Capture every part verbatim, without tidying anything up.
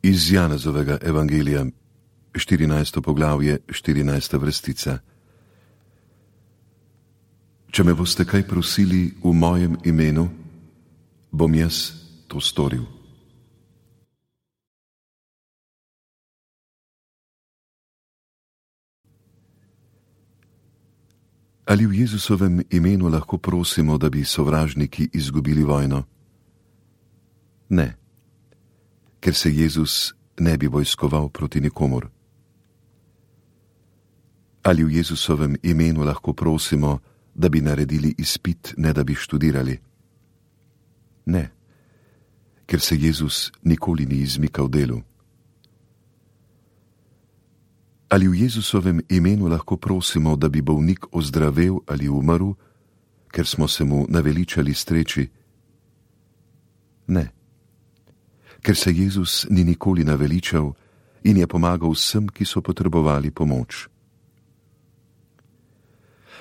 Iz Janezovega evangelija, štirinajsto poglavje, štirinajsta vrstica. Če me boste kaj prosili v mojem imenu, bom jaz to storil. Ali v Jezusovem imenu lahko prosimo, da bi sovražniki izgubili vojno? Ne, ker se Jezus ne bi vojskoval proti nikomur. Ali v Jezusovem imenu lahko prosimo, da bi naredili izpit, ne da bi študirali? Ne, ker se Jezus nikoli ni izmikal delu. Ali v Jezusovem imenu lahko prosimo, da bi bolnik ozdravel ali umrl, ker smo se mu naveličali streči? Ne, ker se Jezus ni nikoli naveličal in je pomagal vsem, ki so potrebovali pomoč.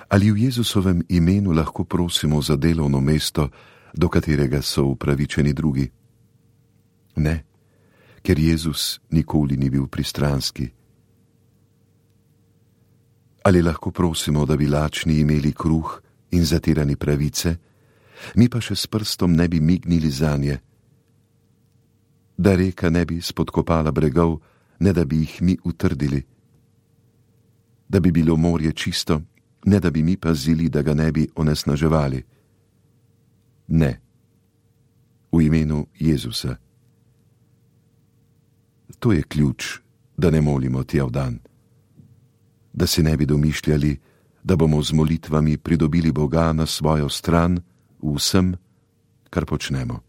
Ali v Jezusovem imenu lahko prosimo za delovno mesto, do katerega so upravičeni drugi? Ne, ker Jezus nikoli ni bil pristranski. Ali lahko prosimo, da bi lačni imeli kruh in zatirani pravice, mi pa še s prstom ne bi mignili zanje, da reka ne bi spodkopala bregov, ne da bi jih mi utrdili, da bi bilo morje čisto, ne da bi mi pazili, da ga ne bi onesnaževali. Ne, v imenu Jezusa. To je ključ, da ne molimo tjav dan, da si ne bi domišljali, da bomo z molitvami pridobili Boga na svojo stran v vsem, kar počnemo.